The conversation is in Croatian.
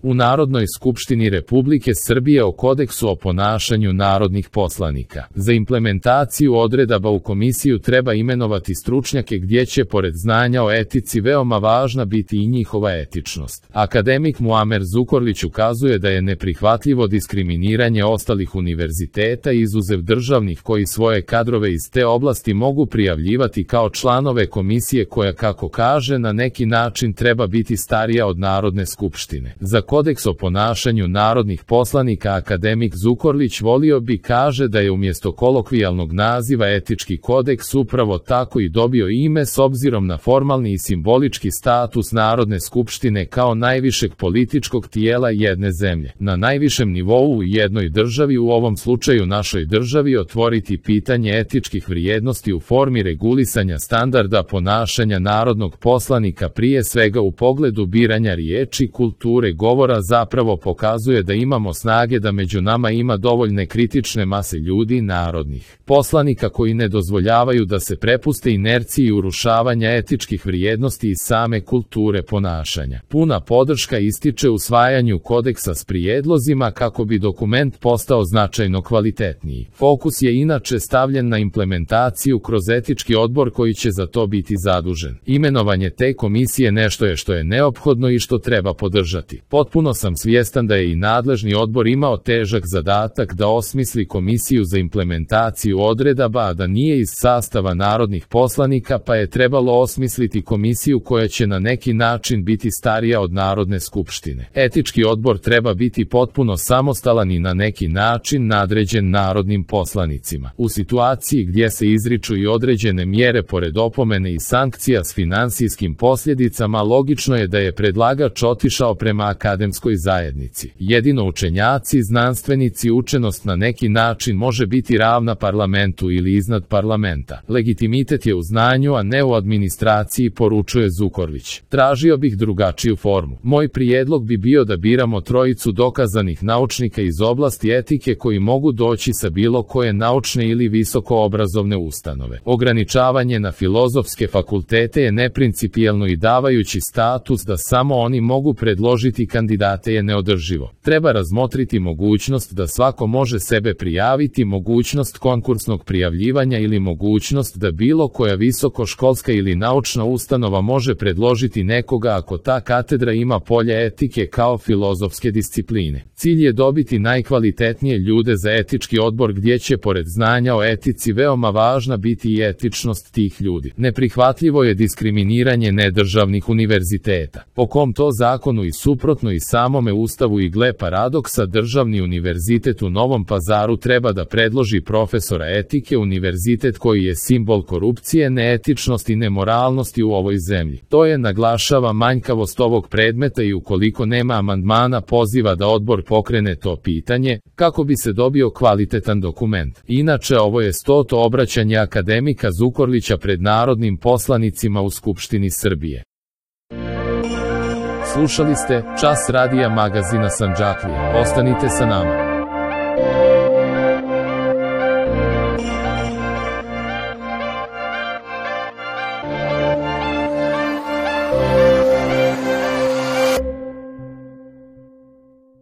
U Narodnoj skupštini Republike Srbije o kodeksu o ponašanju narodnih poslanika. Za implementaciju odredaba u komisiju treba imenovati stručnjake gdje će pored znanja o etici veoma važna biti i njihova etičnost. Akademik Muamer Zukorlić ukazuje da je neprihvatljivo diskriminiranje ostalih univerziteta izuzev državnih koji svoje kadrove iz te oblasti mogu prijavljivati kao članove komisije koja, kako kaže, na neki način treba biti starija od Narodne skupštine. Za kodeks o ponašanju narodnih poslanika akademik Zukorlić volio bi kaže da je umjesto kolokvijalnog naziva etički kodeks upravo tako i dobio ime s obzirom na formalni i simbolički status Narodne skupštine kao najvišeg političkog tijela jedne zemlje. Na najvišem nivou u jednoj državi, u ovom slučaju našoj državi, otvoriti pitanje etičkih vrijednosti u formi regulisanja standarda ponašanja narodnog poslanika prije svega u pogledu biranja riječi, kulture govora zapravo pokazuje da imamo snage da među nama ima dovoljne kritične mase ljudi narodnih poslanika koji ne dozvoljavaju da se prepuste inerciji urušavanja etičkih vrijednosti i same kulture ponašanja. Puna podrška ističe usvajanju kodeksa s prijedlozima kako bi dokument postao značajno kvalitetniji. Fokus je inače stavljen na implementaciju kroz etički odbor koji će za to biti zadužen. Imenovanje te komisije nešto je što je neophodno i što treba podržati. Potpuno sam svjestan da je i nadležni odbor imao težak zadatak da osmisli komisiju za implementaciju odredaba, a da nije iz sastava narodnih poslanika, pa je trebalo osmisliti komisiju koja će na neki način biti starija od Narodne skupštine. Etički odbor treba biti potpuno samostalan i na neki način nadređen narodnim poslanicima. U situaciji gdje se izriču i određene mjere pored opomene i sankcija s finansijskim posljedicama, logično je da je predlagač otišao prema akademskoj zajednici. Jedino učenjaci, znanstvenici, učenost na neki način može biti ravna parlamentu ili iznad parlamenta. Legitimitet je u znanju, a ne u administraciji, poručuje Zukorlić. Tražio bih drugačiju formu. Moj prijedlog bi bio da biramo trojicu dokazanih naučnika iz oblasti etike koji mogu doći sa bilo koje naučne ili visokoobrazovne ustanove. Ograničavanje na filozofske fakultete je neprincipijelno i davajući status da samo oni mogu predložiti kandidate je neodrživo. Treba razmotriti mogućnost da svako može sebe prijaviti, mogućnost konkursnog prijavljivanja ili mogućnost da bilo koja visokoškolska ili naučna ustanova može predložiti nekoga ako ta katedra ima polje etike kao filozofske discipline. Cilj je dobiti najkvalitetnije ljude za etički odbor gdje će pored znanja o etici veoma važna biti i etičnost tih ljudi. Neprihvatljivo je diskriminiranje nedržavnih univerziteta. Po kom to zakonu i suprotno i samome Ustavu i gle paradoksa, državni univerzitet u Novom Pazaru treba da predloži profesora etike, univerzitet koji je simbol korupcije, neetičnosti i nemoralnosti u ovoj zemlji. To je, naglašava, manjkavost ovog predmeta i ukoliko nema amandmana poziva da odbor pokrene to pitanje kako bi se dobio kvalitetan dokument. Inače, ovo je 100. obraćanje akademika Zukorlića pred narodnim poslanicima u Skupštini Srbije. Slušali ste Čas radija magazina Sandžaklija. Ostanite sa nama.